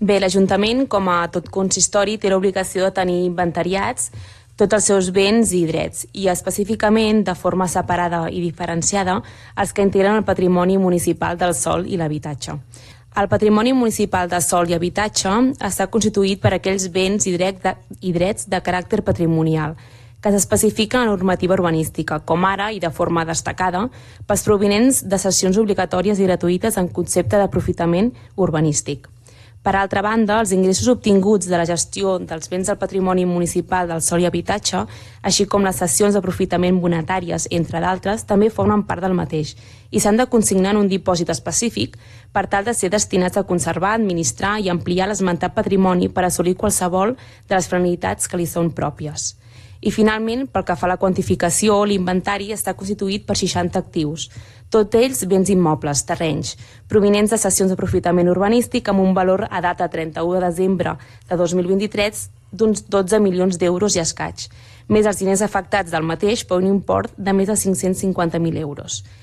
Bé, l'Ajuntament, com a tot consistori, té l'obligació de tenir inventariats tots els seus béns i drets, i específicament, de forma separada i diferenciada, els que integren el patrimoni municipal del sòl i l'habitatge. El patrimoni municipal de sòl i habitatge està constituït per aquells béns i drets de caràcter patrimonial que s'especifiquen en la normativa urbanística, com ara, i de forma destacada, pels provinents de cessions obligatòries i gratuïtes en concepte d'aprofitament urbanístic. Per altra banda, els ingressos obtinguts de la gestió dels béns del patrimoni municipal del sòl i habitatge, així com les cessions d'aprofitament monetàries, entre d'altres, també formen part del mateix i s'han de consignar en un dipòsit específic per tal de ser destinats a conservar, administrar i ampliar l'esmentat patrimoni per assolir qualsevol de les finalitats que li són pròpies. I finalment, pel que fa a la quantificació, l'inventari està constituït per 60 actius, tots ells béns immobles, terrenys, provinents de cessions d'aprofitament urbanístic amb un valor a data 31 de desembre de 2023 d'uns 12 milions d'euros i escaig, més els diners afectats del mateix per un import de més de 550.000 euros.